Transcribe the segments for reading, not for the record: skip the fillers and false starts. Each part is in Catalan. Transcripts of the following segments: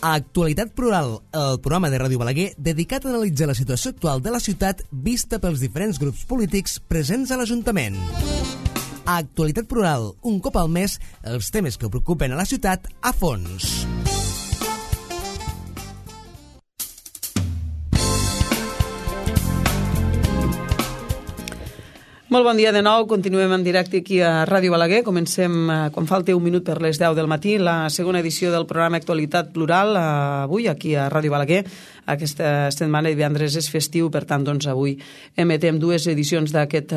A Actualitat Plural, el programa de Ràdio Balaguer dedicat a analitzar la situació actual de la ciutat vista pels diferents grups polítics presents a l'Ajuntament. A Actualitat Plural, un cop al mes, els temes que preocupen a la ciutat a fons. Molt bon dia de nou, continuem en directe aquí a Ràdio Balaguer. Comencem, quan falta un minut per les 10 del matí, la segona edició del programa Actualitat Plural, avui aquí a Ràdio Balaguer. Aquesta setmana, divendres, és festiu, per tant, doncs, avui emetem dues edicions d'aquest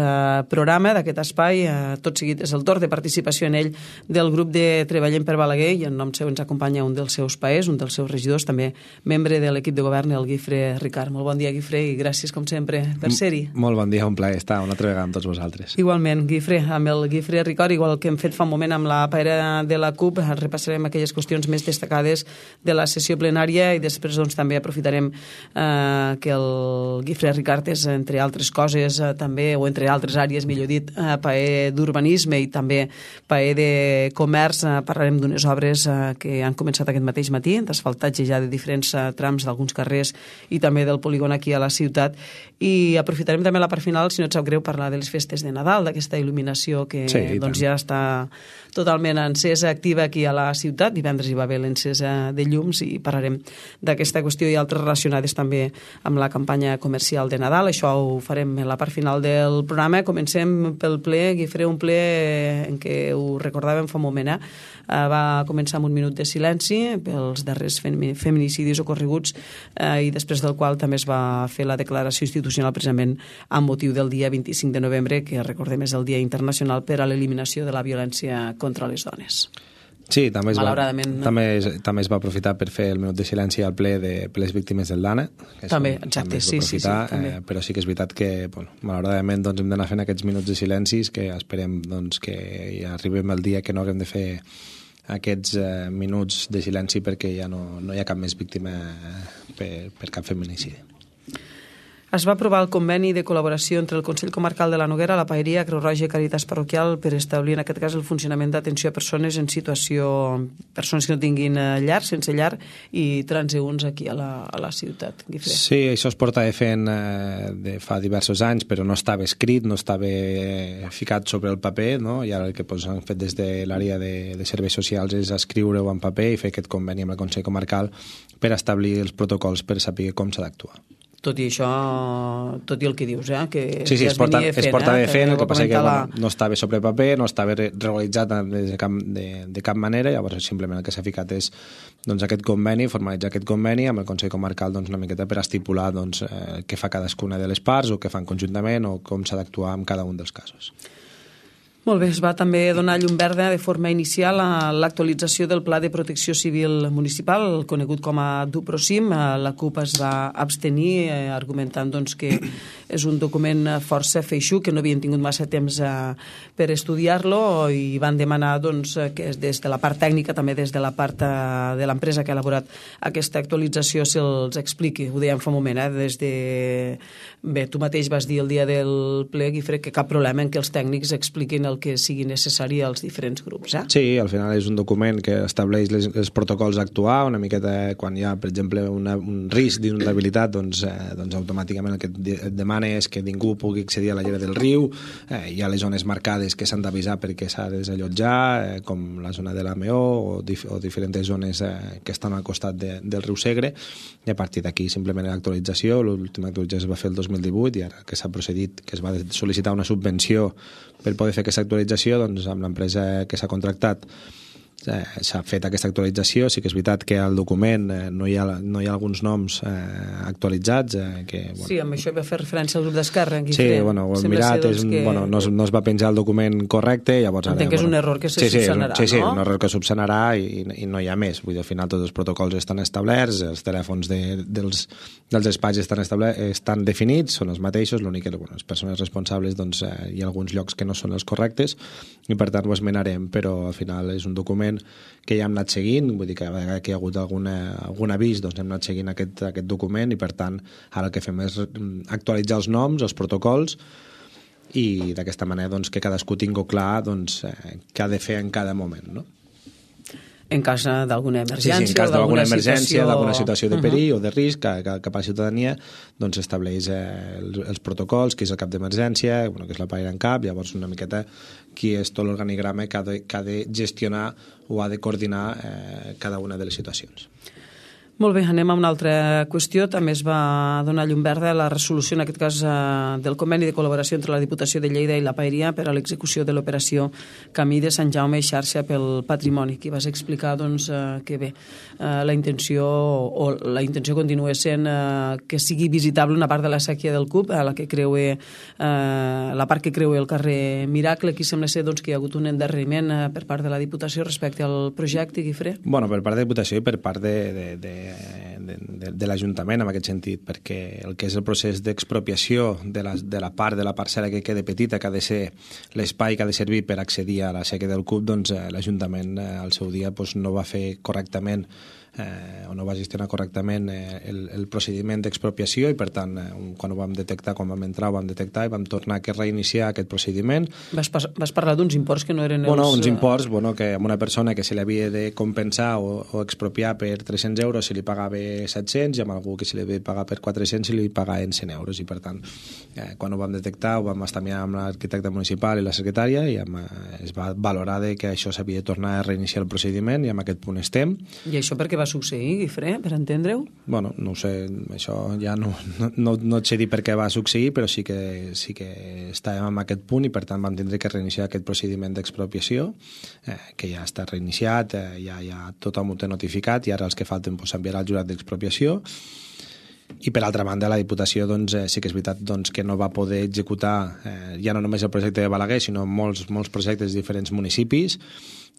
programa, d'aquest espai. Tot seguit és el torn de participació en ell del grup de Treballem per Balaguer, i en nom seu ens acompanya un dels seus paers, un dels seus regidors, també membre de l'equip de govern, el Guifré Ricard. Molt bon dia, Guifré, i gràcies, com sempre, per ser-hi. Molt bon dia, un plaer estar una altra vegada amb tots vosaltres. Igualment, Guifré, amb el Guifré Ricard, igual que hem fet fa un moment amb la paera de la CUP, repassarem aquelles qüestions més destacades de la sessió plenària i després doncs, també aprofitarem que el Guifré Ricard és, entre altres coses, també, o entre altres àrees, millor dit, paer d'urbanisme i també paer de comerç. Parlarem d'unes obres que han començat aquest mateix matí, d'asfaltatge ja de diferents trams d'alguns carrers i també del polígon aquí a la ciutat. I aprofitarem també la part final, si no et sap greu, parlar de les festes de Nadal, d'aquesta il·luminació que doncs, ja està totalment encesa, activa aquí a la ciutat. Divendres hi va haver l'encesa de llums i parlarem d'aquesta qüestió i altres relacionades també amb la campanya comercial de Nadal. Això ho farem en la part final del programa. Comencem pel ple, Guifré, un ple en què ho recordàvem fa un moment, va començar amb un minut de silenci pels darrers feminicidis ocorreguts i després del qual també es va fer la declaració institucional precisament amb motiu del dia 25 de novembre, que recordem és el Dia Internacional per a l'Eliminació de la Violència contra les Dones. Sí, també es va aprofitar per fer el minut de silenci al ple de les víctimes del Dana. També, exacte, sí. Però sí que és veritat que, malauradament, doncs, hem d'anar fent aquests minuts de silencis, que esperem doncs, que ja arribem al dia que no haguem de fer aquests minuts de silenci perquè ja no hi ha cap més víctima per cap feminicidi. Es va aprovar el conveni de col·laboració entre el Consell Comarcal de la Noguera, la Paeria, Creu Roja i Càritas Parroquial per establir, en aquest cas, el funcionament d'atenció a persones en situació, persones que no tinguin llar, sense llar, i transeünts aquí a la ciutat. Guifré. Sí, això es porta fent fa diversos anys, però no estava escrit, no estava ficat sobre el paper, no? I ara el que han fet des de l'àrea de serveis socials és escriure-ho en paper i fer aquest conveni amb el Consell Comarcal per establir els protocols per saber com s'ha d'actuar. Tot i això, tot i el que dius, que sí, ja es porta fent, el que passa que no estava sobre paper, no estava regularitzat de cap manera, llavors simplement el que s'ha ficat és doncs, aquest conveni, formalitzar aquest conveni amb el Consell Comarcal doncs, una miqueta per estipular doncs, què fa cadascuna de les parts o què fan conjuntament o com s'ha d'actuar en cada un dels casos. Molt bé, es va també donar llum verda de forma inicial a l'actualització del Pla de Protecció Civil Municipal, conegut com a DuProCim. La CUP es va abstenir, argumentant doncs, que és un document força feixuc, que no havien tingut massa temps per estudiar-lo, i van demanar doncs, que des de la part tècnica, també des de la part de l'empresa que ha elaborat aquesta actualització, se'ls expliqui. Ho dèiem fa un moment, des de... Bé, tu mateix vas dir el dia del ple, Guifré, que cap problema en que els tècnics expliquin el que sigui necessari als diferents grups. Sí, al final és un document que estableix els protocols a actuar, una miqueta quan hi ha, per exemple, un risc d'inundabilitat, doncs automàticament el que et demana és que ningú pugui accedir a la llera del riu, hi ha les zones marcades que s'han d'avisar perquè s'ha de desallotjar, com la zona de la Meó o diferents zones que estan al costat del riu Segre, i a partir d'aquí simplement l'actualització, l'última actualització es va fer el 2018 i ara que s'ha procedit, que es va sol·licitar una subvenció per poder fer aquesta actualització, doncs amb l'empresa que s'ha contractat s'ha fet aquesta actualització. Sí que és veritat que al document no hi ha alguns noms actualitzats. Sí, amb això va fer referència al grup d'Esquerra. Sí, ho hem mirat, no es va penjar el document correcte. Entenc que és un error que se subsanarà, no? Sí, un error que subsanarà i no hi ha més. Vull dir, al final tots els protocols estan establerts, els telèfons dels espais estan definits, són els mateixos, l'únic que les persones responsables hi ha alguns llocs que no són els correctes i per tant ho esmenarem, però al final és un document que ja hem anat seguint, vull dir que a vegades que hi ha hagut algun avís doncs hem anat seguint aquest document i per tant ara el que fem és actualitzar els noms, els protocols i d'aquesta manera doncs, que cadascú tingui clar doncs, què ha de fer en cada moment, no? En cas d'alguna emergència, en cas d'alguna emergència, d'alguna situació de perill o de risc cap a la ciutadania, doncs estableix els protocols, qui és el cap d'emergència, que és la paella en cap, llavors una miqueta qui és tot l'organigrama que ha de gestionar o ha de coordinar cada una de les situacions. Molt bé, anem a una altra qüestió. També es va donar llum verda a la resolució, en aquest cas, del conveni de col·laboració entre la Diputació de Lleida i la Paeria per a l'execució de l'operació Camí de Sant Jaume i xarxa pel patrimoni. Aquí vas explicar que bé, la intenció continua sent que sigui visitable una part de la sèquia del CUP, la part que creua el carrer Miracle. Aquí sembla ser que hi ha hagut un endarreriment per part de la Diputació respecte al projecte, Guifré? Bueno, per part de la Diputació i per part de l'Ajuntament en aquest sentit, perquè el que és el procés d'expropiació de la part de la parcel·la que queda petita, que ha de ser l'espai que ha de servir per accedir a la sèquia del CUP, doncs l'Ajuntament al seu dia no va fer correctament o no va gestionar correctament el procediment d'expropiació i per tant quan ho vam detectar, quan vam entrar ho vam detectar i vam tornar a reiniciar aquest procediment. Vas parlar d'uns imports que no eren uns imports que a una persona que se li havia de compensar o expropiar per 300 euros se li pagava 700 i amb algú que se li havia de pagar per 400 se li pagaven 100 euros i per tant quan ho vam detectar ho vam estar mirant amb l'arquitecte municipal i la secretària i es va valorar que això s'havia de tornar a reiniciar el procediment i en aquest punt estem. I això per què va succeir, Guifré, per entendre-ho? Bueno, no ho sé, això ja no et sé dir per què va succeir, però sí que estàvem en aquest punt i per tant vam tindre que reiniciar aquest procediment d'expropiació, que ja està reiniciat, ja tothom ho té notificat i ara els que falten s'enviarà al jurat d'expropiació. I per altra banda la Diputació sí que és veritat que no va poder executar ja no només el projecte de Balaguer sinó molts projectes de diferents municipis.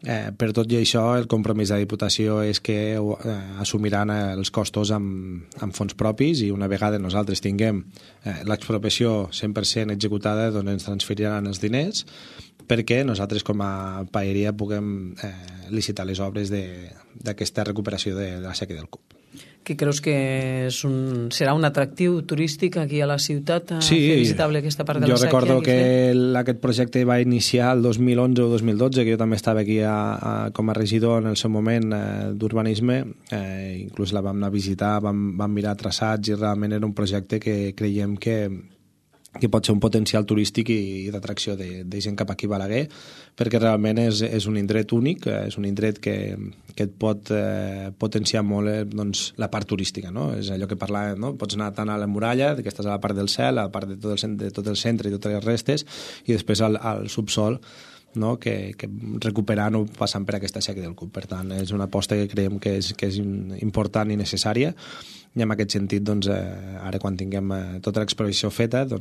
Per tot i això el compromís de la Diputació és que assumiran els costos amb fons propis i una vegada nosaltres tinguem l'expropiació 100% executada ens transferiran els diners perquè nosaltres com a paeria puguem licitar les obres d'aquesta recuperació de la sèquia del CUP. Que creus que serà un atractiu turístic aquí a la ciutat fer visitable aquesta part de la sèquia? Jo recordo que aquest projecte va iniciar el 2011 o 2012, que jo també estava aquí com a regidor en el seu moment d'urbanisme, inclús la vam anar a visitar, vam mirar traçats i realment era un projecte que creiem que pot ser un potencial turístic i d'atracció de gent cap aquí a Balaguer, perquè realment és un indret únic, és un indret que et pot potenciar molt la part turística, no? És allò que parlàvem, no? Pots anar tant a la muralla, que estàs a la part del cel, a la part de tot el centre i totes les restes, i després al subsol, no? que recuperant o passant per aquesta sèquia del CUP. Per tant, és una aposta que creiem que és important i necessària i en aquest sentit, ara quan tinguem tota l'expropiació feta, ho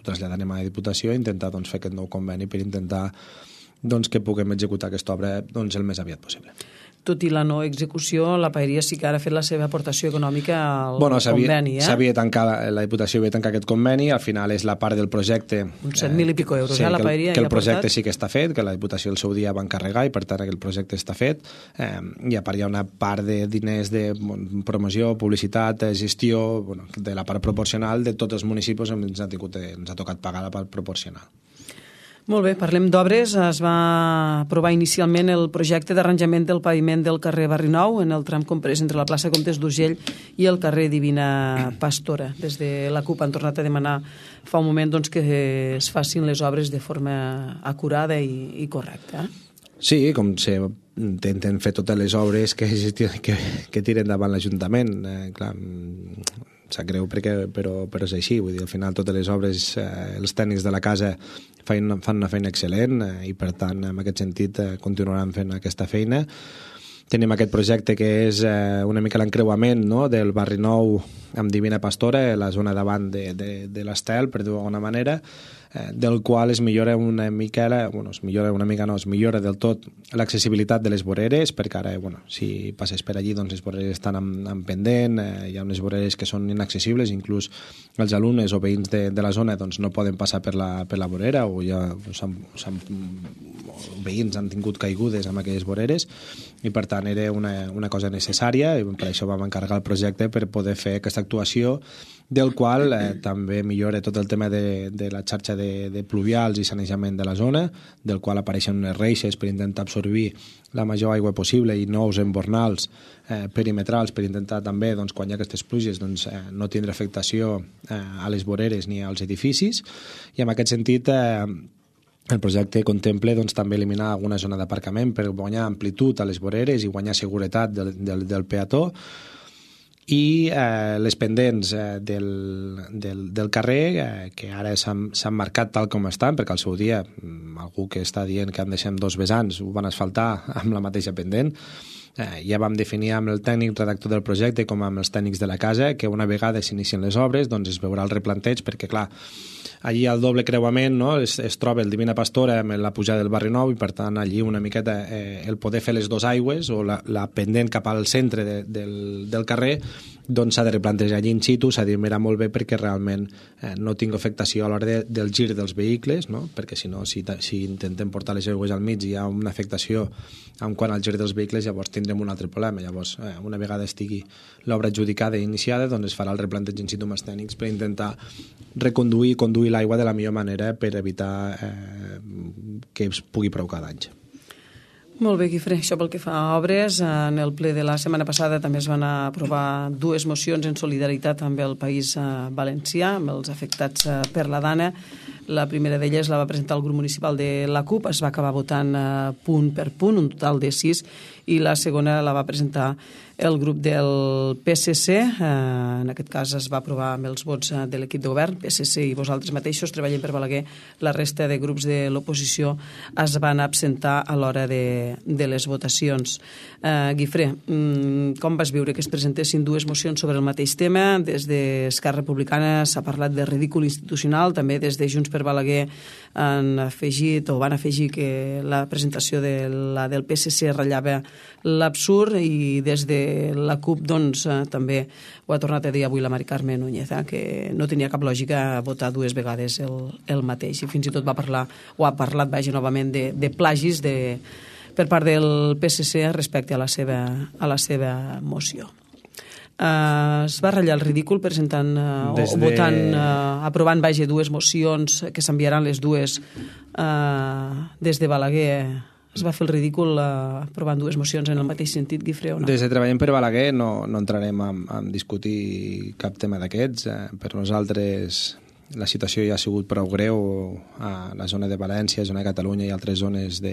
traslladarem a la Diputació i intentar fer aquest nou conveni per intentar que puguem executar aquesta obra el més aviat possible. Tot i la no execució, la Paeria sí que ara ha fet la seva aportació econòmica al conveni. La Diputació havia tancat aquest conveni, al final és la part del projecte... Uns 7.000 i pico euros, la Paeria. Que el projecte sí que està fet, que la Diputació el seu dia va encarregar i per tant el projecte està fet. I a part hi ha una part de diners de promoció, publicitat, gestió, de la part proporcional de tots els municipis ens ha tocat pagar la part proporcional. Molt bé, parlem d'obres. Es va aprovar inicialment el projecte d'arranjament del paviment del carrer Barri Nou en el tram comprès entre la plaça Comtes d'Urgell i el carrer Divina Pastora. Des de la CUP han tornat a demanar fa un moment que es facin les obres de forma acurada i correcta. Sí, com se intenten fer totes les obres que tiren davant l'Ajuntament. Clar, sap greu però és així, vull dir, al final totes les obres, els tècnics de la casa fan una feina excel·lent i per tant en aquest sentit continuaran fent aquesta feina. Tenim aquest projecte que és una mica l'encreuament, no?, del Barri Nou amb Divina Pastora, la zona davant de l'Estel, per dir-ho d'alguna manera, del qual es millora una mica, es millora del tot l'accessibilitat de les voreres, perquè ara, si passes per allí, les voreres estan en pendent, hi ha unes voreres que són inaccessibles, inclús els alumnes o veïns de la zona no poden passar per la vorera, o veïns han tingut caigudes amb aquelles voreres, i per tant era una cosa necessària, i per això vam encarregar el projecte per poder fer aquesta d'actuació, del qual també millora tot el tema de la xarxa de pluvials i sanejament de la zona, del qual apareixen unes reixes per intentar absorbir la major aigua possible i nous embornals perimetrals per intentar també, doncs, quan hi ha aquestes pluges, doncs, no tindre afectació a les voreres ni als edificis, i en aquest sentit el projecte contempla, doncs, també eliminar alguna zona d'aparcament per guanyar amplitud a les voreres i guanyar seguretat del peató, i les pendents del carrer que ara s'han marcat tal com estan, perquè al seu dia algú que està dient que han deixat 2 vessants ho van asfaltar amb la mateixa pendent. Ja vam definir amb el tècnic redactor del projecte com amb els tècnics de la casa que una vegada s'inicien les obres doncs es veurà el replanteig, perquè clar, allí al doble creuament, no, es troba el Divina Pastora amb la pujada del Barri Nou, i per tant allí una miqueta el poder fer les 2 aigües o la pendent cap al centre del carrer, doncs s'ha de replantejar allí in situ, s'ha de mirar molt bé perquè realment no tingui afectació a l'hora del gir dels vehicles, no? Perquè si no, si intentem portar les aigües al mig i hi ha una afectació en quant al gir dels vehicles, llavors tindrem un altre problema. Llavors, una vegada estigui l'obra adjudicada i iniciada, doncs es farà el replanteig in situ amb els tècnics per intentar reconduir i conduir l'aigua de la millor manera per evitar que es pugui provocar danys. Molt bé, Guifré. Això pel que fa a obres. En el ple de la setmana passada també es van aprovar 2 mocions en solidaritat amb el País Valencià, amb els afectats per la Dana. La primera d'elles la va presentar el grup municipal de la CUP, es va acabar votant punt per punt, un total de 6, i la segona la va presentar el grup del PSC. En aquest cas es va aprovar amb els vots de l'equip de govern, PSC i vosaltres mateixos, Treballem per Balaguer. La resta de grups de l'oposició es van absentar a l'hora de les votacions. Guifré, com vas viure que es presentessin 2 mocions sobre el mateix tema? Des d'Esquerra Republicana s'ha parlat de ridícul institucional, també des de Junts per Balaguer van afegir que la presentació de la del PSC ratllava l'absurd, i des de la CUP doncs, també ho ha tornat a dir avui la Mari Carme Núñez, que no tenia cap lògica votar 2 vegades el mateix, i fins i tot ha parlat novament de plagis per part del PSC respecte a la seva moció. Es va ratllar el ridícul presentant aprovant 2 mocions que s'enviaran les 2 des de Balaguer. Es va fer el ridícul aprovant 2 mocions en el mateix sentit, Guifré, o no? Des de Treballem per Balaguer no entrarem a discutir cap tema d'aquests. Per nosaltres la situació ja ha sigut prou greu a la zona de València, zona de Catalunya i altres zones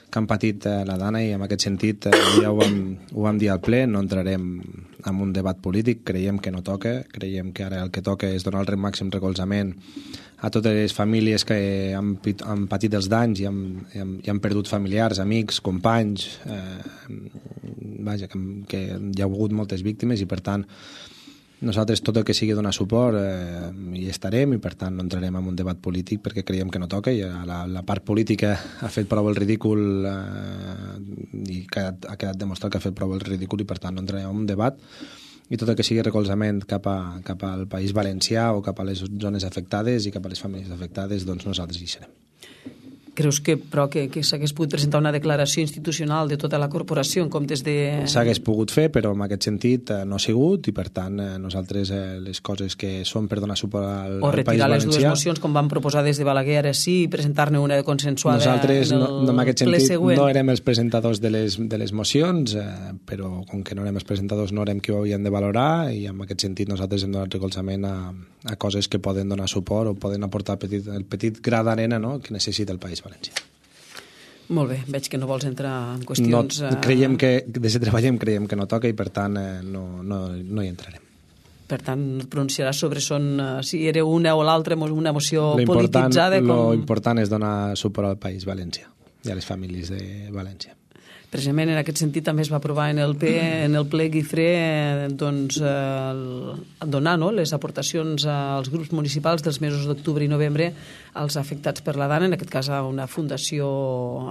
que han patit la Dana, i en aquest sentit ja ho vam dir al ple, no entrarem en un debat polític, creiem que no toca, creiem que ara el que toca és donar el màxim recolzament a totes les famílies que han patit els danys i han perdut familiars, amics, companys, que hi ha hagut moltes víctimes, i per tant nosaltres tot el que sigui donar suport hi estarem, i per tant no entrarem en un debat polític perquè creiem que no toca, i la part política ha fet prou el ridícul i ha quedat demostrat que ha fet prou el ridícul, i per tant no entrarem en un debat, i tot el que sigui recolzament cap al País Valencià o cap a les zones afectades i cap a les famílies afectades, doncs nosaltres hi serem. Creus que s'hagués pogut presentar una declaració institucional de tota la corporació en comptes de... S'hagués pogut fer, però en aquest sentit no ha sigut, i per tant nosaltres les coses que són per donar suport al País Valencià... O retirar les 2 mocions com van proposar des de Balaguer, ara sí, i presentar-ne una consensuada nosaltres, en el ple següent. No érem els presentadors de les mocions, però com que no érem els presentadors no érem qui ho havien de valorar, i en aquest sentit nosaltres hem donat recolzament a coses que poden donar suport o poden aportar el petit gra d'arena, no?, que necessita el País Valencià. Molt bé, veig que no vols entrar en qüestions... Creiem que, des de Treballem, creiem que no toca, i per tant no hi entrarem. Per tant, no et pronunciaràs sobre si era una o l'altra, una moció polititzada... L'important és donar suport al País Valencià i a les famílies de València. Precisament en aquest sentit també es va aprovar en el ple Guifré donar les aportacions als grups municipals dels mesos d'octubre i novembre als afectats per la Dana, en aquest cas a una fundació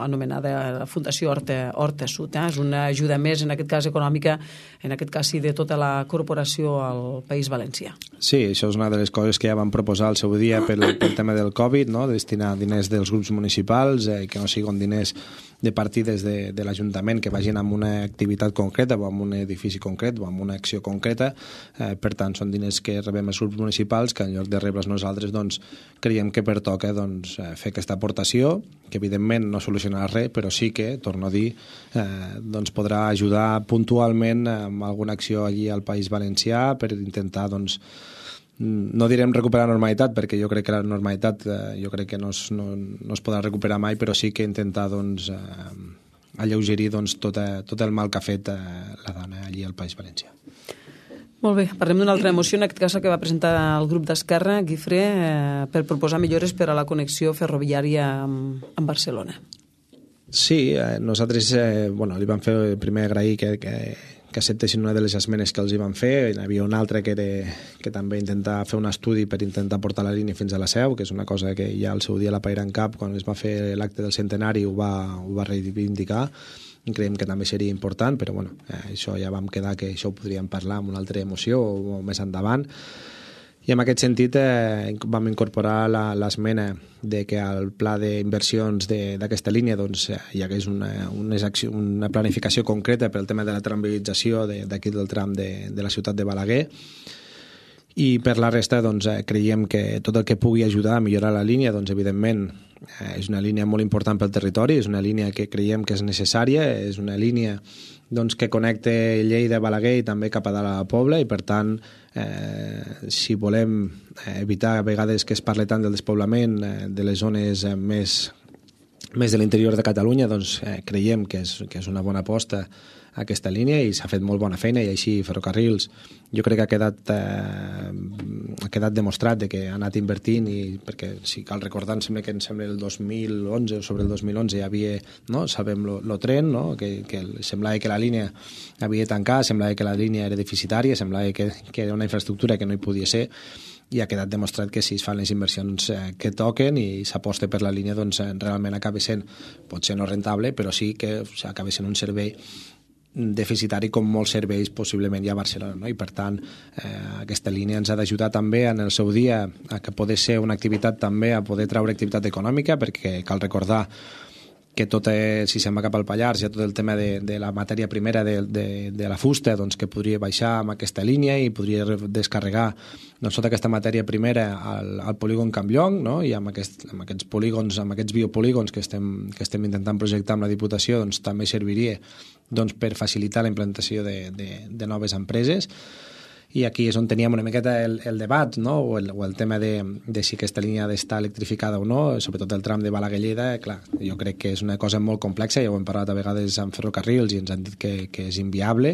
anomenada Fundació Horta Sud. És una ajuda més, en aquest cas econòmica, en aquest cas sí, de tota la corporació al País Valencià. Sí, això és una de les coses que ja vam proposar al seu dia pel tema del Covid, no?, destinar diners dels grups municipals, que no siguin diners de partides de l'Ajuntament que vagin amb una activitat concreta o amb un edifici concret o amb una acció concreta. Per tant, són diners que rebem els grups municipals que en lloc de rebre'ls nosaltres doncs, creiem que pertoca doncs, fer aquesta aportació, que evidentment no solucionarà res, però sí que, torno a dir, doncs, podrà ajudar puntualment amb alguna acció allí al País Valencià per intentar doncs, no direm recuperar normalitat, perquè jo crec que la normalitat jo crec que no es podrà recuperar mai, però sí que intentar doncs, alleugerir doncs, tot el mal que ha fet la dona allí al País Valencià. Molt bé, parlem d'una altra moció, en aquest cas que va presentar el grup d'Esquerra, Guifré, per proposar millores per a la connexió ferroviària amb Barcelona. Sí, nosaltres li vam fer primer agrair que acceptessin una de les esmenes que els hi van fer. Hi havia una altra que també intentava fer un estudi per intentar portar la línia fins a la Seu, que és una cosa que ja al seu dia la Paira en Cap, quan es va fer l'acte del centenari, ho va reivindicar, i creiem que també seria important, però bueno, això ja vam quedar que això ho podríem parlar en una altra moció o més endavant. I en aquest sentit vam incorporar l'esmena de que al pla d'inversions d'aquesta línia doncs, hi hagués una planificació concreta per al tema de la tramviarització d'aquí del tram de la ciutat de Balaguer, i per la resta doncs, creiem que tot el que pugui ajudar a millorar la línia, doncs, evidentment és una línia molt important pel territori, és una línia que creiem que és necessària, és una línia doncs, que connecta Lleida, Balaguer i també cap a dalt a la Pobla, i per tant si volem evitar a vegades que es parli tant del despoblament de les zones més de l'interior de Catalunya, doncs creiem que és una bona aposta aquesta línia i s'ha fet molt bona feina, i així Ferrocarrils jo crec que ha quedat demostrat de que ha anat invertint, i perquè si cal recordar, sembla el 2011 o sobre el 2011 hi havia, no? Sabem lo tren, no? que semblava que la línia havia tancat, semblava que la línia era deficitària, semblava que era una infraestructura que no hi podia ser, i ha quedat demostrat que si es fan les inversions que toquen i s'aposta per la línia, doncs realment acaba sent, potser no rentable, però sí que acaba sent un servei deficitari com molts serveis possiblement hi ha a Barcelona, no? I per tant aquesta línia ens ha d'ajudar també en el seu dia a que poder ser una activitat també, a poder treure activitat econòmica, perquè cal recordar que tot, si se'n va cap al Pallars, hi ha tot el tema de la matèria primera de la fusta, doncs, que podria baixar amb aquesta línia i podria descarregar doncs, tota aquesta matèria primera al polígon Campllong, no? I amb aquests polígons, amb aquests biopolígons que estem intentant projectar amb la Diputació, doncs, també serviria doncs, per facilitar la implantació de noves empreses. I aquí és on teníem una miqueta el debat, no? o el tema de si aquesta línia ha d'estar electrificada o no, sobretot el tram de Balaguer-Lleida. Clar, jo crec que és una cosa molt complexa, ja ho hem parlat a vegades amb Ferrocarrils i ens han dit que és inviable,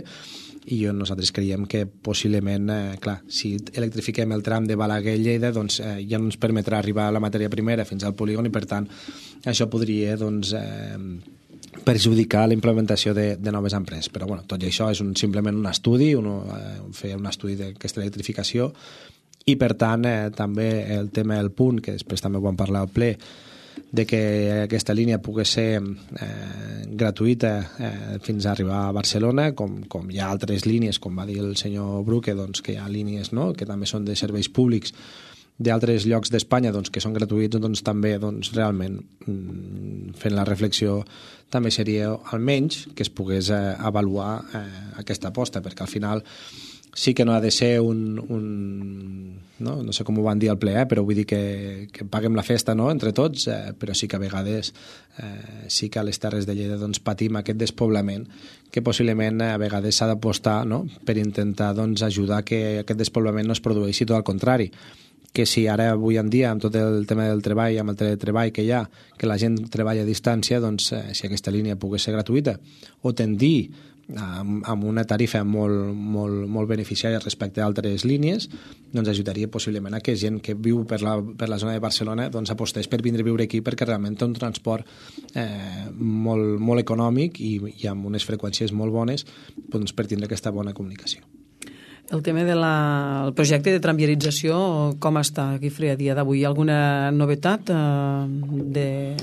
i nosaltres creiem que possiblement, clar, si electrifiquem el tram de Balaguer-Lleida, doncs ja no ens permetrà arribar a la matèria primera fins al polígon, i per tant això podria doncs, perjudicar la implementació de noves empreses. Però bueno, tot i això és simplement un estudi, fer un estudi d'aquesta electrificació, i per tant també el tema del punt, que després també ho vam parlar al ple, de que aquesta línia pugui ser gratuïta fins a arribar a Barcelona, com hi ha altres línies, com va dir el senyor Bruque, doncs, que hi ha línies, no?, que també són de serveis públics d'altres llocs d'Espanya, doncs, que són gratuïts, doncs també doncs, realment fent la reflexió també seria almenys que es pogués avaluar aquesta aposta, perquè al final sí que no ha de ser no sé com ho van dir al ple, però vull dir que paguem la festa, no?, entre tots, però sí que a vegades sí que a les Terres de Lleida doncs, patim aquest despoblament, que possiblement a vegades s'ha d'apostar, no?, per intentar doncs, ajudar que aquest despoblament no es produeixi, tot al contrari, que si ara avui en dia amb tot el tema del treball, amb el teletreball que hi ha, que la gent treballa a distància, doncs si aquesta línia pogués ser gratuïta o tendir amb una tarifa molt beneficiària respecte a altres línies, doncs ajudaria possiblement a que gent que viu per la zona de Barcelona doncs apostés per vindre a viure aquí, perquè realment té un transport molt econòmic i amb unes freqüències molt bones doncs, per tindre aquesta bona comunicació. El tema del projecte de tramviarització, com està, Guifré, a dia d'avui? Hi ha alguna novetat de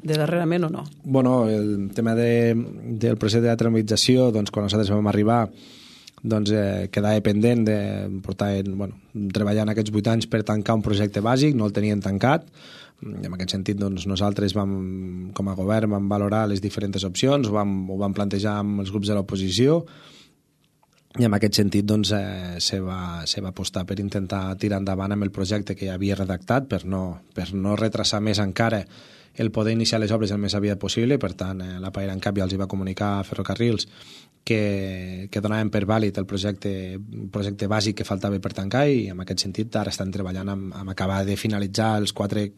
darrerament o no? Bueno, el tema del procés de la tramviarització, doncs, quan nosaltres vam arribar, doncs, quedava pendent de treballar en aquests 8 anys per tancar un projecte bàsic, no el tenien tancat, En aquest sentit, doncs, nosaltres com a govern vam valorar les diferents opcions, ho vam plantejar amb els grups de l'oposició, i en aquest sentit doncs, se va apostar per intentar tirar endavant amb el projecte que ja havia redactat per no retrasar més encara el poder iniciar les obres el més aviat possible. Per tant, la Paera en cap ja els va comunicar a Ferrocarrils que donaven per vàlid el projecte bàsic que faltava per tancar, i en aquest sentit ara estan treballant amb acabar de finalitzar els quatre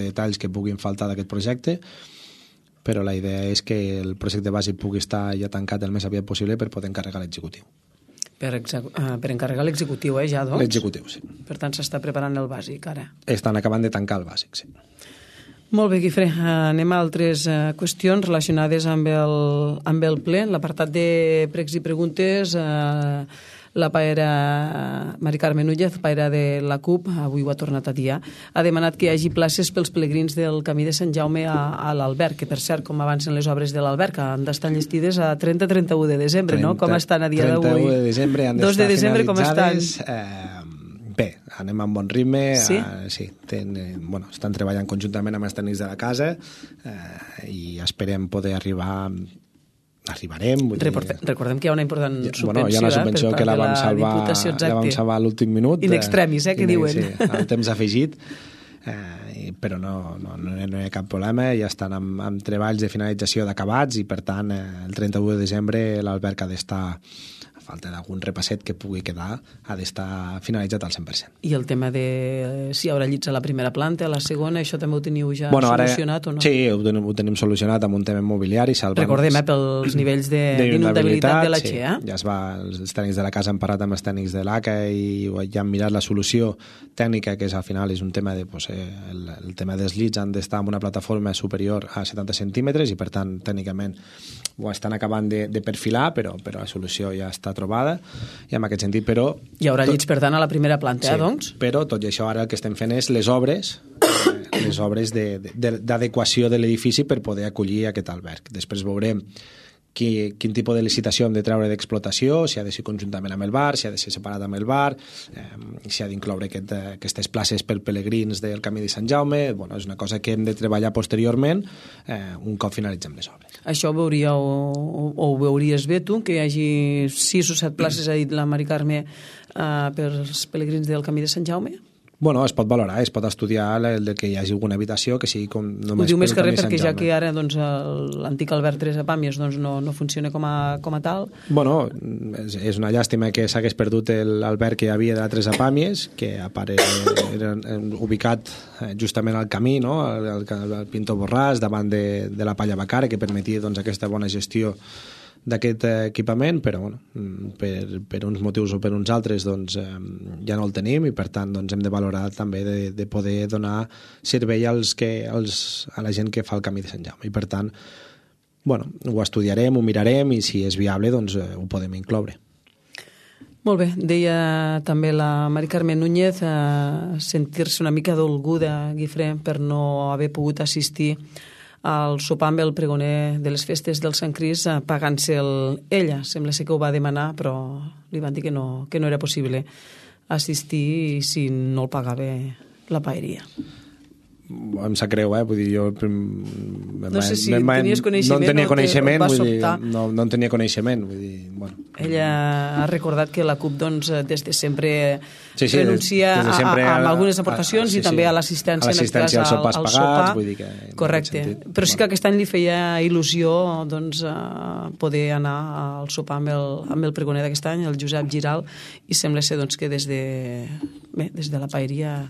detalls que puguin faltar d'aquest projecte, però la idea és que el projecte bàsic pugui estar ja tancat el més aviat possible per poder encarregar l'executiu. Per encarregar l'executiu, ja, doncs? L'executiu, sí. Per tant, s'està preparant el bàsic, ara. Estan acabant de tancar el bàsic, sí. Molt bé, Guifré. Anem a altres qüestions relacionades amb el ple. L'apartat de pregs i preguntes, la paera Mari Carme Núñez, paera de la CUP, avui ho ha tornat a dir, ha demanat que hi hagi places pels pelegrins del Camí de Sant Jaume a l'Alberg, que per cert, com avancen les obres de l'Alberg, han d'estar enllestides a 30-31 de desembre, no? Com estan a dia d'avui? 31 de desembre han d'estar 2 de desembre, finalitzades. Com estan? Bé, anem amb bon ritme. Sí? Sí, estan treballant conjuntament amb els tècnics de la casa i esperem poder arribarem. Recordem que hi ha una important subvenció. Hi ha una subvenció que la vam salvar a l'últim minut. In extremis, que diuen. Sí, el temps afegit, però no hi ha cap problema. Ja estan amb treballs de finalització d'acabats i, per tant, el 31 de desembre l'Alberg ha d'estar, a falta d'algun repasset que pugui quedar, ha d'estar finalitzat al 100%. I el tema de si hi haurà llits a la primera planta, a la segona, això també ho teniu ja solucionat o no? Sí, ho tenim solucionat amb un tema immobiliari. Recordem, pels nivells d'inundabilitat de la Xea. Ja els tècnics de la casa han parlat amb els tècnics de l'ACA i ja han mirat la solució tècnica, que al final és un tema de el tema dels llits han d'estar en una plataforma superior a 70 centímetres i, per tant, tècnicament ho estan acabant de perfilar, però la solució ja està trobada, i en aquest sentit, però... Hi haurà llits, per tant, a la primera planta, doncs? Però tot i això ara el que estem fent és les obres d'adequació de l'edifici per poder acollir aquest alberg. Després veurem quin tipus de licitació hem de treure d'explotació, si ha de ser conjuntament amb el bar, si ha de ser separat amb el bar, si ha d'incloure aquestes places per pelegrins del Camí de Sant Jaume. És una cosa que hem de treballar posteriorment un cop finalitzem les obres. Això ho veuries bé tu, que hi hagi 6 o 7 places, ha dit la Mari Carme, pels pelegrins del Camí de Sant Jaume? Es pot valorar, es pot estudiar el que hi hagi alguna habitació que sigui com només... Ho diu més que res perquè ja que ara l'antic Albert Teresa Pàmies no funciona com a tal. És una llàstima que s'hagués perdut l'alberg que hi havia de la Teresa Pàmies, que a part era ubicat justament al camí, no? al Pintor Borràs, davant de la Palla Bacara, que permetia aquesta bona gestió d'aquest equipament, però per uns motius o per uns altres ja no el tenim, i per tant hem de valorar també de poder donar servei a la gent que fa el Camí de Sant Jaume, i per tant ho estudiarem, ho mirarem, i si és viable ho podem incloure. Molt bé, deia també la Mari Carme Núñez sentir-se una mica dolguda, Guifré, per no haver pogut assistir al sopar amb el pregoner de les festes del Sant Crist, pagant-se'l ella. Sembla ser que ho va demanar, però li van dir que no era possible assistir si no el pagava la paeria. Em sap greu, vull dir, jo no sé si tenies coneixement, no en tenia coneixement, vull dir, no en tenia coneixement, vull dir, Ella ha recordat que la CUP des de sempre renuncia a algunes aportacions i també a l'assistència als sopars pagats, vull dir que... Correcte, però sí que aquest any li feia il·lusió poder anar al sopar amb el pregoner d'aquest any, el Josep Giral, i sembla ser que des de la paeria...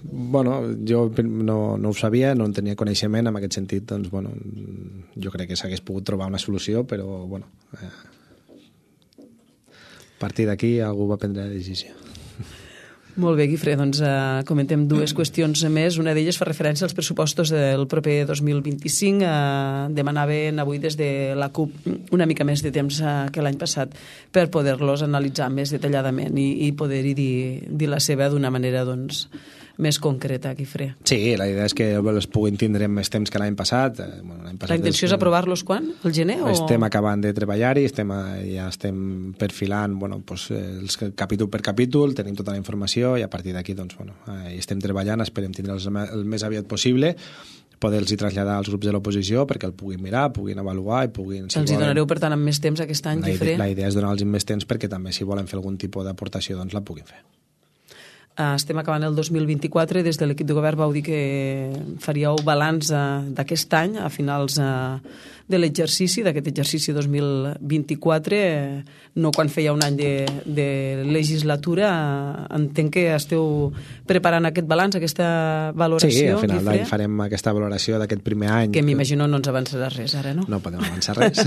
Jo no ho sabia, no en tenia coneixement, en aquest sentit, jo crec que s'hagués pogut trobar una solució, però, a partir d'aquí algú va prendre la decisió. Molt bé, Guifré, comentem 2 qüestions més. Una d'elles fa referència als pressupostos del proper 2025. Demanaven avui des de la CUP una mica més de temps que l'any passat per poder-los analitzar més detalladament i poder-hi dir la seva d'una manera més concreta, Guifré. Sí, la idea és que els puguin tindre més temps que l'any passat. La intenció és aprovar-los quan? El gener? Estem acabant de treballar-hi, ja estem perfilant el capítol per capítol, tenim tota la informació i a partir d'aquí estem treballant, esperem tindre'ls el més aviat possible, poder-los traslladar als grups de l'oposició perquè el puguin mirar, puguin avaluar i puguin... Els hi donareu, per tant, amb més temps aquest any, Guifré? La idea és donar-los més temps perquè també, si volen fer algun tipus d'aportació, doncs la puguin fer. Estem acabant el 2024, des de l'equip de govern vau dir que faríeu balanç d'aquest any a finals de l'exercici, d'aquest exercici 2024, no quan feia un any de legislatura. Entenc que esteu preparant aquest balanç, aquesta valoració. Sí, al final d'any farem aquesta valoració d'aquest primer any. Que m'imagino no ens avançarà res ara, no? No podem avançar res.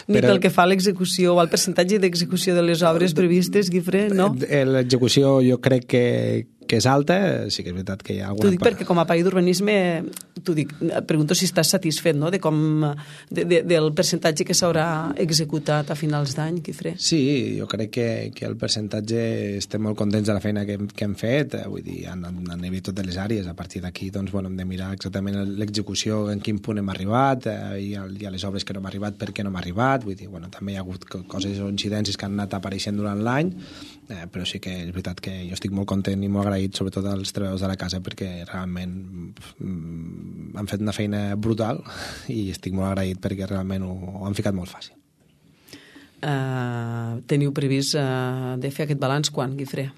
Ni pel que fa a l'execució o al percentatge d'execució de les obres previstes, Guifré, no? L'execució jo crec que és alta, sí que és veritat que hi ha alguna... T'ho dic perquè com a país d'urbanisme, pregunto si estàs satisfet, no?, del percentatge que s'haurà executat a finals d'any, Guifré. Sí, jo crec que el percentatge estem molt contents de la feina que hem fet, vull dir, a nivell totes les àrees. A partir d'aquí, doncs, hem de mirar exactament l'execució, en quin punt hem arribat, i a les obres que no hem arribat, per què no hem arribat, vull dir, també hi ha hagut coses o incidències que han anat apareixent durant l'any, però sí que és veritat que jo estic molt content i molt agraït, sobretot als treballadors de la casa, perquè realment han fet una feina brutal i estic molt agraït perquè realment ho han ficat molt fàcil. Teniu previst de fer aquest balanç quan, Guifré?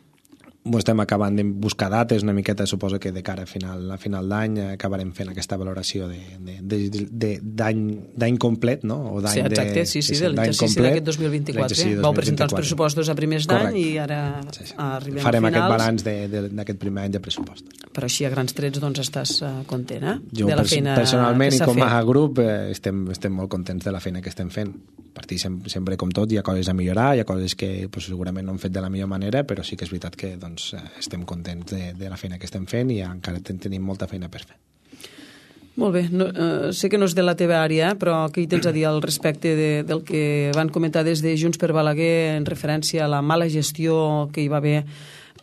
Estem acabant de buscar dates una miqueta, suposo que de cara a final d'any acabarem fent aquesta valoració d'any complet, no? O sí, exacte, de l'exercici d'aquest 2024. Vau presentar els pressupostos a primers d'any i ara arribem farem a finals. Aquest balanç d'aquest primer any de pressupost. Però així a grans trets doncs estàs content, Jo de la feina personalment i com a grup estem molt contents de la feina que estem fent. Per ti sempre com tot hi ha coses a millorar, hi ha coses que segurament no hem fet de la millor manera, però sí que és veritat que estem contents de la feina que estem fent i encara tenim molta feina per fer. Molt bé, sé que no és de la teva àrea, però què hi tens a dir al respecte del que van comentar des de Junts per Balaguer en referència a la mala gestió que hi va haver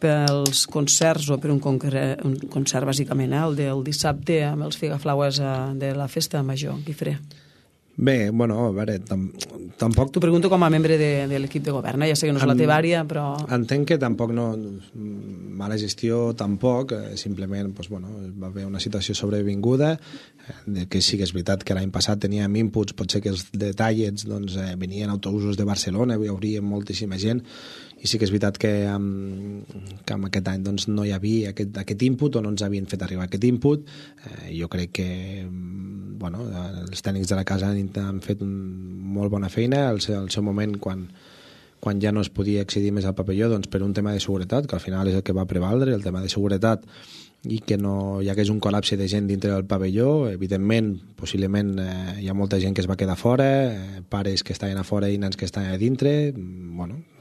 pels concerts, o per un concert bàsicament, el del dissabte amb els figaflaues de la festa major, Guifré? Bé, a veure, tampoc... T'ho pregunto com a membre de l'equip de govern, ja sé que no és la teva àrea, però... Entenc que tampoc no... Mala gestió tampoc, simplement va haver una situació sobrevinguda, que sí que és veritat que l'any passat teníem inputs, potser que els de Tallets venien autobusos de Barcelona, hi hauria moltíssima gent, i sí que és veritat que amb aquest any no hi havia aquest input o no ens havien fet arribar aquest input. Jo crec que els tècnics de la casa han fet molt bona feina al seu moment quan ja no es podia accedir més al pavelló per un tema de seguretat, que al final és el que va prevaldre, el tema de seguretat, i que no hi hagués un col·lapse de gent dintre del pavelló. Evidentment, possiblement hi ha molta gent que es va quedar fora, pares que estaven a fora i nens que estaven a dintre.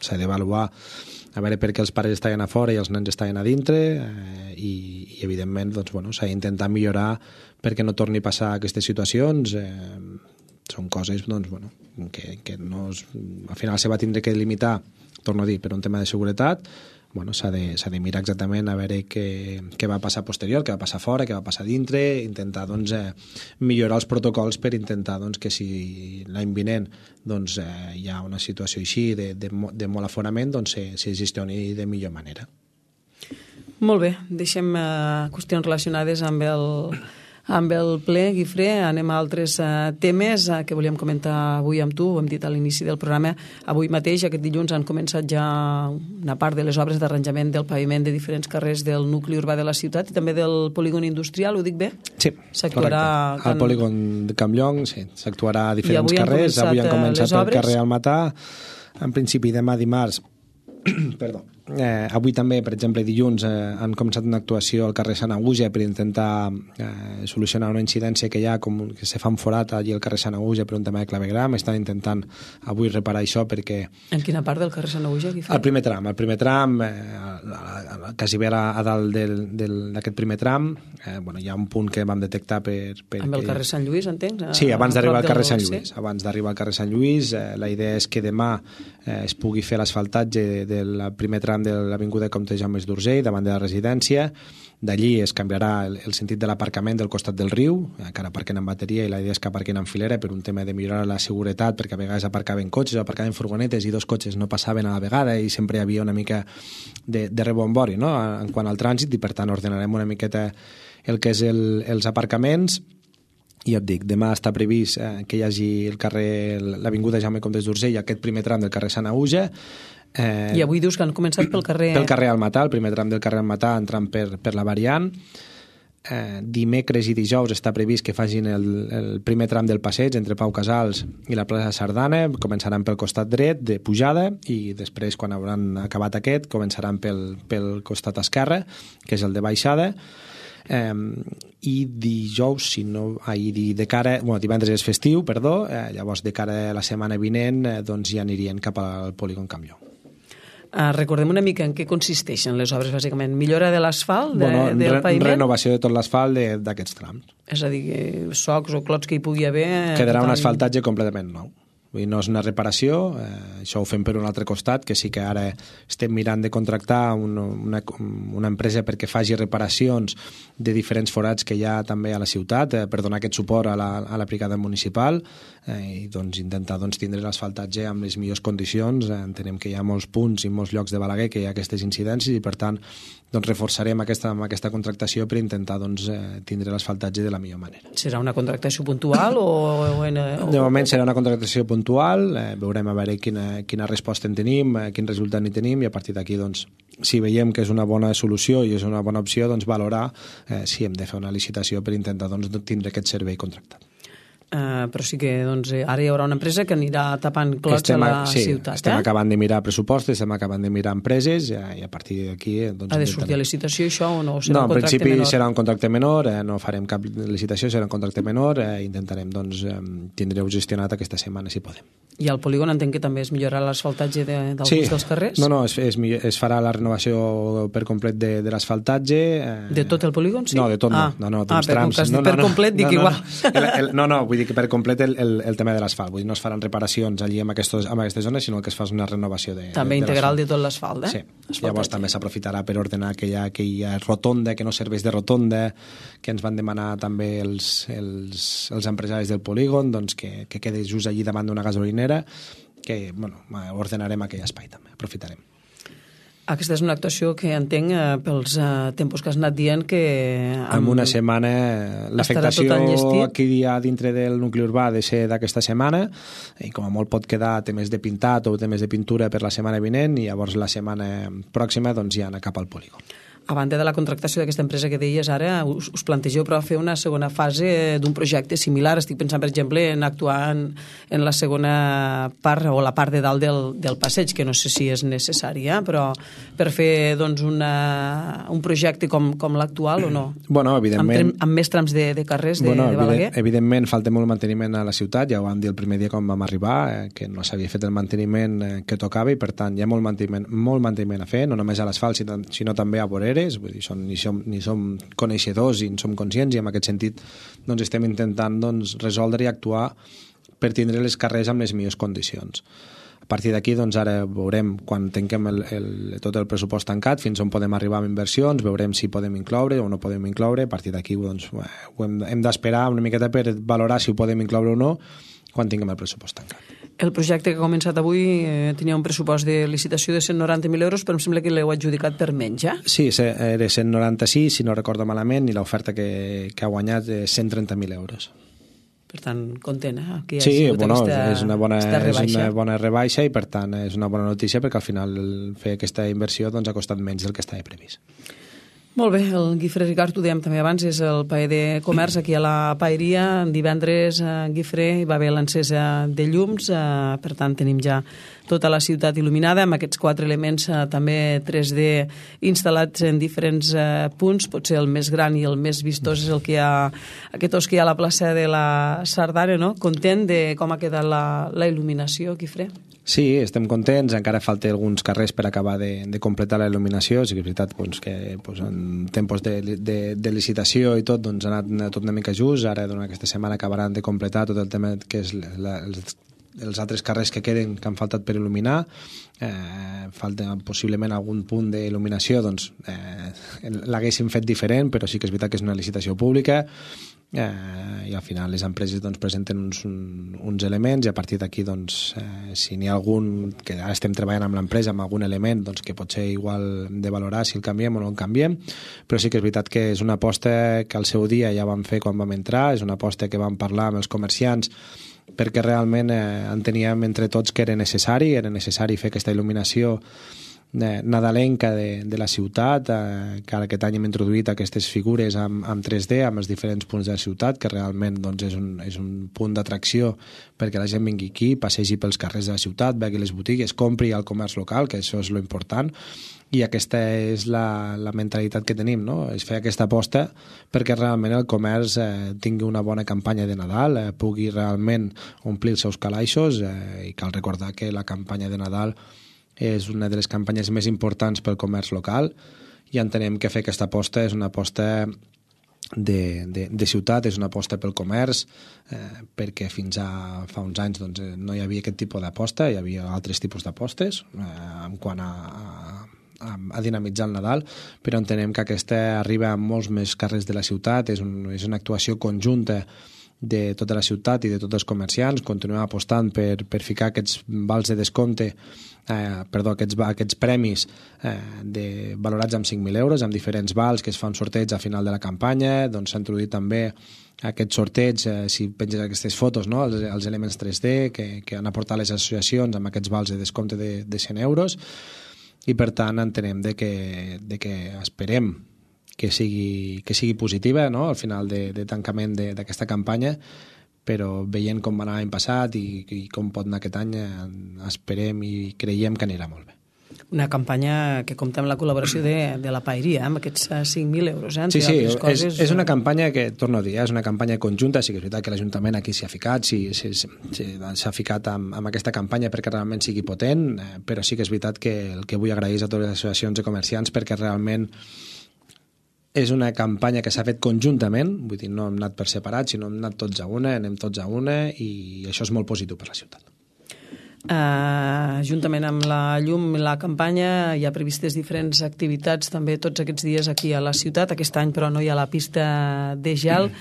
S'ha d'avaluar a veure per què els pares estaven a fora i els nens estaven a dintre, i evidentment s'ha d'intentar millorar perquè no torni a passar aquestes situacions. Són coses que no al final se va tindre que limitar, torno a dir, per un tema de seguretat. S'ha de mirar exactament a veure què va passar posterior, què va passar fora, què va passar dintre, intentar millorar els protocols per intentar que si l'any vinent hi ha una situació així de molt aforament, se gestioni de millor manera. Molt bé, deixem qüestions relacionades amb el ple, Guifré. Anem a altres temes que volíem comentar avui amb tu. Ho hem dit a l'inici del programa. Avui mateix, aquest dilluns, han començat ja una part de les obres d'arranjament del paviment de diferents carrers del nucli urbà de la ciutat i també del polígon industrial, ho dic bé? Sí, correcte. Al polígon de Campllong, sí, s'actuarà a diferents carrers. Avui han començat el carrer Almatà, en principi demà dimarts. Perdó. Avui també, per exemple, dilluns han començat una actuació al carrer Sant Aguja per intentar solucionar una incidència que hi ha, com que se fa un forat allí al carrer Sant Aguja per un tema de clavegram. Estan intentant avui reparar això perquè... En quina part del carrer Sant Aguja? El primer tram, quasi bé a dalt d'aquest primer tram, hi ha un punt que vam detectar amb el carrer Sant Lluís, entenc? Sí, abans d'arribar al carrer Sant Lluís. Abans d'arribar al carrer Sant Lluís, la idea és que demà es pugui fer l'asfaltatge del primer tram tram de l'Avinguda Comte Jaume d'Urgell, davant de la residència. D'allí es canviarà el sentit de l'aparcament del costat del riu, encara aparquen en bateria i la idea és que aparquen en filera per un tema de millorar la seguretat, perquè a vegades aparcaven cotxes, aparcaven furgonetes i 2 cotxes no passaven a la vegada i sempre hi havia una mica de rebombori, no?, en quant al trànsit, i per tant ordenarem una miqueta el que és els aparcaments. I ja et dic, demà està previst que hi hagi el carrer, l'Avinguda Jaume Comte d'Urgell i aquest primer tram del carrer Sant Auja. I avui dius que han començat pel carrer... Pel carrer Almatà, el primer tram del carrer Almatà entrant per la variant. Dimecres i dijous està previst que facin el primer tram del passeig entre Pau Casals i la plaça Sardana. Començaran pel costat dret de pujada i després, quan hauran acabat aquest, començaran pel costat esquerre, que és el de baixada. I dijous, divendres és festiu, llavors de cara a la setmana vinent doncs ja anirien cap al polígon Campllong. Recordem una mica en què consisteixen les obres, bàsicament. Millora de l'asfalt, del paviment? Renovació de tot l'asfalt d'aquests trams. És a dir, socs o clots que hi pugui haver... Quedarà un asfaltatge completament nou. Vull dir, no és una reparació, això ho fem per un altre costat, que sí que ara estem mirant de contractar una empresa perquè faci reparacions de diferents forats que hi ha també a la ciutat per donar aquest suport a la brigada municipal i doncs intentar tindre l'asfaltatge amb les millors condicions. Entenem que hi ha molts punts i molts llocs de Balaguer que hi ha aquestes incidències i per tant reforçarem aquesta contractació per intentar tindre l'asfaltatge de la millor manera. Serà una contractació puntual o de moment serà una contractació puntual, veurem a veure quina resposta en tenim, quin resultat en tenim i a partir d'aquí si veiem que és una bona solució i és una bona opció, valorar si hem de fer una licitació per intentar tindre aquest servei contractat. Però sí que ara hi haurà una empresa que anirà tapant clots a la ciutat. Estem acabant de mirar pressupostos, estem acabant de mirar empreses i a partir d'aquí... Ha de sortir a licitació això o no? No, en principi serà un contracte menor, no farem cap licitació, serà un contracte menor, intentarem tindreu gestionat aquesta setmana si podem. I al polígon entenc que també es millorarà l'asfaltatge d'alguns dels carrers? No, es farà la renovació per complet de l'asfaltatge. De tot el polígon, sí? No, de tot no, d'uns trams. Per complet dic igual. No, vull dir que per complet el tema de l'asfalt, vull dir, no es faran reparacions allí en aquestes zones, sinó que es fa una renovació també integral de tot l'asfalt, Sí, llavors també s'aprofitarà per ordenar aquella rotonda que no serveix de rotonda, que ens van demanar també els empresaris del polígon, que quedi just allí davant d'una gasolinera, que ordenarem aquell espai també, aprofitarem. Aquesta és una actuació que entenc pels tempos que has anat dient que... En una setmana l'afectació aquí dintre del nucli urbà ha de ser d'aquesta setmana i com a molt pot quedar temes de pintat o temes de pintura per la setmana vinent i llavors la setmana pròxima ja anar cap al polígon. A banda de la contractació d'aquesta empresa que deies ara, us plantegeu però fer una segona fase d'un projecte similar? Estic pensant, per exemple, en actuar en la segona part o la part de dalt del passeig, que no sé si és necessària, però per fer un projecte com l'actual o no? Bueno, evidentment... Amb més trams de carrers de Balaguer? Evidentment, falta molt manteniment a la ciutat, ja ho vam dir el primer dia quan vam arribar, que no s'havia fet el manteniment que tocava i per tant hi ha molt manteniment a fer, no només a l'asfalt, sinó també a voreres. Vull dir, ni som coneixedors i en som conscients i en aquest sentit estem intentant resoldre i actuar per tindre les carrers amb les millors condicions. A partir d'aquí ara veurem quan tanquem tot el pressupost tancat fins on podem arribar amb inversions, veurem si podem incloure o no podem incloure. A partir d'aquí hem d'esperar una miqueta per valorar si ho podem incloure o no quan tinguem el pressupost tancat. El projecte que ha començat avui tenia un pressupost de licitació de 190.000 euros, però em sembla que l'heu adjudicat per menys, ja? Sí, era 196, si no recordo malament, i l'oferta que ha guanyat és 130.000 euros. Per tant, content, que hi ha sigut és una bona rebaixa i per tant és una bona notícia perquè al final fer aquesta inversió ha costat menys del que estava previst. Molt bé, el Guifré Ricard, ho dèiem també abans, és el paer de comerç aquí a la paeria. Divendres a Guifré hi va haver l'encesa de llums, per tant tenim ja tota la ciutat il·luminada amb aquests 4 elements també 3D instal·lats en diferents punts. Potser el més gran i el més vistós és el que hi ha, aquest os que hi ha a la plaça de la Sardana, no? Content de com ha quedat la il·luminació, Guifré? Sí, estem contents, encara falta alguns carrers per acabar de completar la il·luminació, sí que és veritat que en tempos de licitació i tot ha anat tot una mica just, ara aquesta setmana acabaran de completar tot el tema que és els altres carrers que queden, que han faltat per il·luminar, falta possiblement algun punt d'il·luminació, doncs l'haguéssim fet diferent, però sí que és veritat que és una licitació pública, i al final les empreses doncs, presenten uns elements, i a partir d'aquí doncs, si n'hi ha algun, que ara estem treballant amb l'empresa amb algun element doncs, que pot ser igual de valorar si el canviem o no el canviem, però sí que és veritat que és una aposta que al seu dia ja vam fer quan vam entrar, és una aposta que vam parlar amb els comerciants perquè realment enteníem entre tots que era necessari fer aquesta il·luminació nadalenca de la ciutat, que ara aquest any hem introduït aquestes figures amb 3D, amb els diferents punts de la ciutat, que realment doncs, és un punt d'atracció perquè la gent vingui aquí, passegi pels carrers de la ciutat, vegi les botigues, compri al comerç local, que això és lo important, i aquesta és la mentalitat que tenim, no? És fer aquesta aposta perquè realment el comerç tingui una bona campanya de Nadal, pugui realment omplir els seus calaixos, i cal recordar que la campanya de Nadal és una de les campanyes més importants pel comerç local, i entenem que fer aquesta aposta és una aposta de ciutat, és una aposta pel comerç, perquè fins a fa uns anys doncs, no hi havia aquest tipus d'aposta, hi havia altres tipus d'apostes en quant a dinamitzar el Nadal, però entenem que aquesta arriba a molts més carrers de la ciutat, és una actuació conjunta de tota la ciutat i de tots els comerciants. Continuem apostant per ficar aquests vals de descompte, aquests premis valorats amb 5.000 euros, amb diferents vals que es fa un sorteig a final de la campanya. Doncs s'ha introduït també aquest sorteig, si penges aquestes fotos, no? els elements 3D que han aportat les associacions amb aquests vals de descompte de 100 euros, i per tant entenem de que esperem que sigui positiva, no? Al final de tancament d'aquesta campanya, però veient com va anar l'any passat i com pot anar aquest any, esperem i creiem que anirà molt bé. Una campanya que compta amb la col·laboració de la paeria, amb aquests 5.000 euros. Sí, és una campanya que, torno a dir, és una campanya conjunta. Sí que és veritat que l'Ajuntament aquí s'hi ha ficat, s'ha ficat amb aquesta campanya perquè realment sigui potent, però sí que és veritat que el que vull agrair és a totes les associacions de comerciants, perquè realment és una campanya que s'ha fet conjuntament, vull dir, no hem anat per separat, sinó hem anat tots a una, anem tots a una, i això és molt positiu per la ciutat. Juntament amb la llum i la campanya hi ha previstes diferents activitats també tots aquests dies aquí a la ciutat. Aquest any però no hi ha la pista de gel.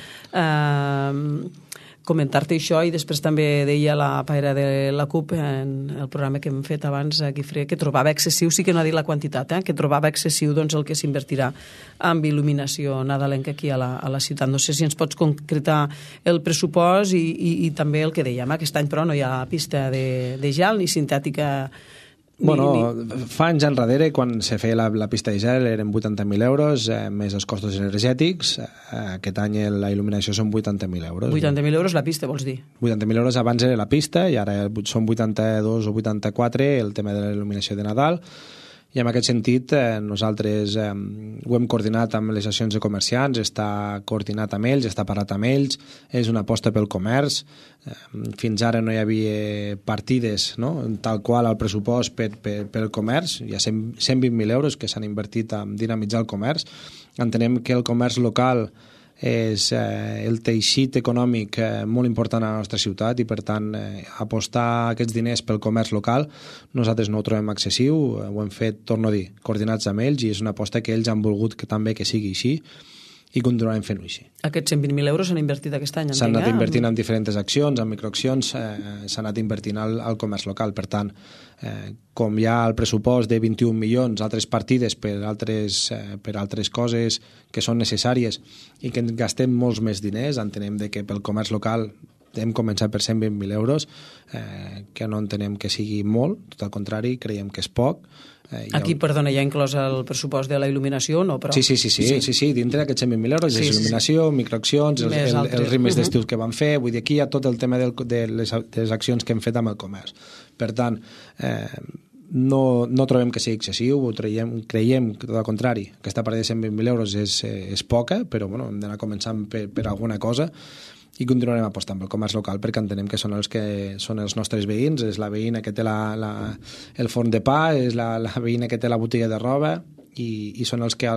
Comentar-te això, i després també deia la paera de la CUP en el programa que hem fet abans, Guifré, que trobava excessiu, sí que no ha dit la quantitat, que trobava excessiu doncs, el que s'invertirà amb il·luminació nadalenca aquí a la ciutat. No sé si ens pots concretar el pressupost i també el que dèiem. Aquest any però no hi ha pista de gel ni sintètica. Fa anys enrere, quan se feia la pista de gel, eren 80.000 euros, més els costos energètics. Aquest any la il·luminació són 80.000 euros. 80.000 euros la pista, vols dir? 80.000 euros abans era la pista, i ara són 82 o 84 el tema de la il·luminació de Nadal. I en aquest sentit nosaltres ho hem coordinat amb les associacions de comerciants, està coordinat amb ells, està parlat amb ells, és una aposta pel comerç. Fins ara no hi havia partides, no? Tal qual al pressupost pel comerç, hi ha 120.000 euros que s'han invertit en dinamitzar el comerç. Entenem que el comerç local és el teixit econòmic molt important a la nostra ciutat, i per tant apostar aquests diners pel comerç local nosaltres no ho trobem excessiu. Ho hem fet, torno a dir, coordinats amb ells, i és una aposta que ells han volgut que també que sigui així, i continuarem fent-ho així. Aquests 120.000 euros s'han invertit aquest any? S'han anat invertint en diferents accions, en microaccions, s'ha anat invertint al comerç local. Per tant, com hi ha el pressupost de 21 milions, altres partides per altres coses que són necessàries i que gastem molts més diners, entenem que pel comerç local hem començat per 120.000 euros, que no entenem que sigui molt, tot al contrari, creiem que és poc. Aquí, perdona, hi ha inclòs el pressupost de la il·luminació, no? Però... Sí, dintre d'aquests 120.000 euros és il·luminació, microaccions, els rimes d'estiu que van fer, vull dir, aquí hi ha tot el tema de les accions que hem fet amb el comerç. Per tant, no trobem que sigui excessiu, creiem que tot al contrari, aquesta part de 120.000 euros és poca, però bueno, hem d'anar començant per alguna cosa, i continuarem apostant pel comerç local perquè entenem que són els nostres veïns, és la veïna que té el forn de pa, és la veïna que té la botiga de roba, i són els que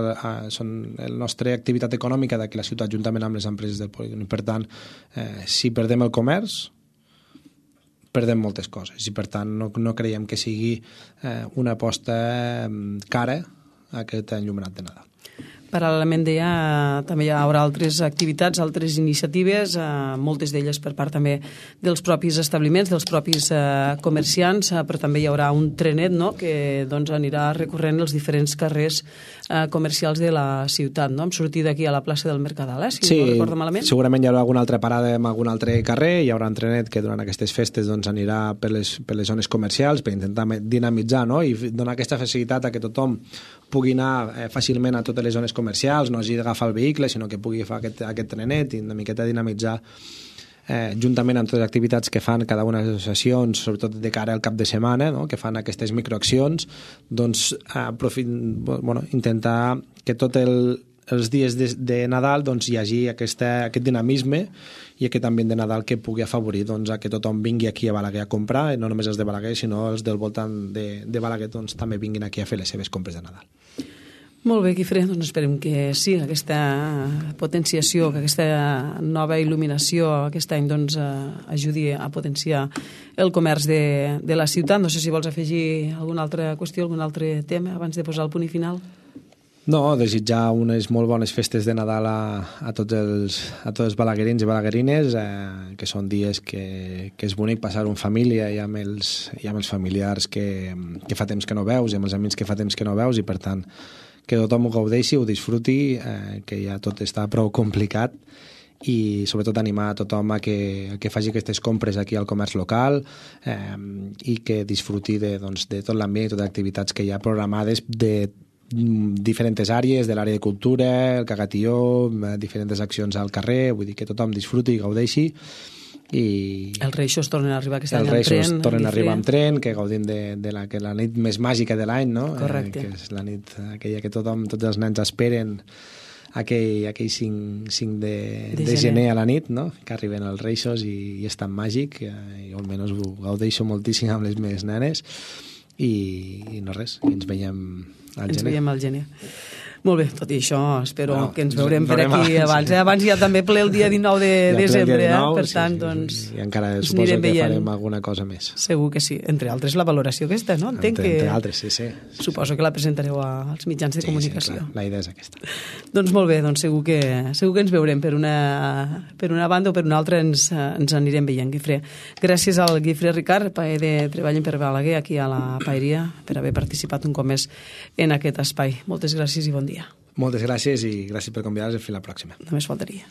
són la nostra activitat econòmica d'aquí la ciutat juntament amb les empreses del polígon. Per tant, si perdem el comerç, perdem moltes coses i per tant no creiem que sigui una aposta cara aquest enllumenat de Nadal. Paral·lelament també hi haurà altres activitats, altres iniciatives, moltes d'elles per part també dels propis establiments, dels propis comerciants, però també hi haurà un trenet, no?, que doncs, anirà recorrent els diferents carrers comercials de la ciutat, no?, amb sortida aquí a la plaça del Mercadal, si no recordo malament. Segurament hi haurà alguna altra parada en algun altre carrer, hi haurà un trenet que durant aquestes festes doncs, anirà per les zones comercials per intentar dinamitzar, no?, i donar aquesta facilitat a que tothom pugui anar fàcilment a totes les zones comercials, no hagi d'agafar el vehicle, sinó que pugui fer aquest trenet i una miqueta dinamitzar juntament amb totes les activitats que fan cada una de les associacions, sobretot de cara al cap de setmana, no?, que fan aquestes microaccions, doncs intentar que tots els dies de Nadal doncs, hi hagi aquest dinamisme i aquest ambient de Nadal que pugui afavorir doncs, a que tothom vingui aquí a Balaguer a comprar, no només els de Balaguer, sinó els del voltant de Balaguer doncs, també vinguin aquí a fer les seves compres de Nadal. Molt bé, Guifré, doncs esperem que sí, aquesta potenciació, que aquesta nova il·luminació aquest any doncs, ajudi a potenciar el comerç de la ciutat. No sé si vols afegir alguna altra qüestió, algun altre tema abans de posar el punt i final. No, desitjar unes molt bones festes de Nadal a tots els balaguerins i balaguerines, que són dies que és bonic passar en família i amb els familiars que fa temps que no veus i amb els amics que fa temps que no veus i per tant que tothom ho gaudeixi, ho disfruti, que ja tot està prou complicat i sobretot animar a tothom a que faci aquestes compres aquí al comerç local i que disfruti de tot l'ambient i totes les activitats que hi ha programades de diferents àrees, de l'àrea de cultura, el cagatió, diferents accions al carrer, vull dir que tothom disfruti i gaudeixi. I els Reixos tornen a arribar aquest any amb tren. Els Reixos tornen a arribar amb tren, que gaudim de la nit més màgica de l'any, no? Correcte. Que és la nit aquella que tots els nens esperen aquell 5 de gener a la nit, no?, que arriben els Reixos i és tan màgic, i almenys ho gaudeixo moltíssim amb les meves nenes i no res, ens veiem al gener. Ens veiem al gener. Molt bé, tot i això, espero que ens veurem per aquí abans. Abans hi ha també ple el dia 19 de desembre, per tant, doncs... I encara suposo que farem alguna cosa més. Segur que sí. Entre altres, la valoració aquesta, no? Entre altres, sí. Suposo que la presentareu als mitjans de comunicació. Sí, clar, la idea és aquesta. Doncs molt bé, doncs segur que ens veurem per una banda o per una altra ens anirem veient, Guifré. Gràcies al Guifré Ricard, paer de Treballen per Balaguer, aquí a la paeria, per haver participat un cop més en aquest espai. Moltes gràcies i bon dia. Moltes gràcies i gràcies per convidar-nos a fer la pròxima. Només faltaria.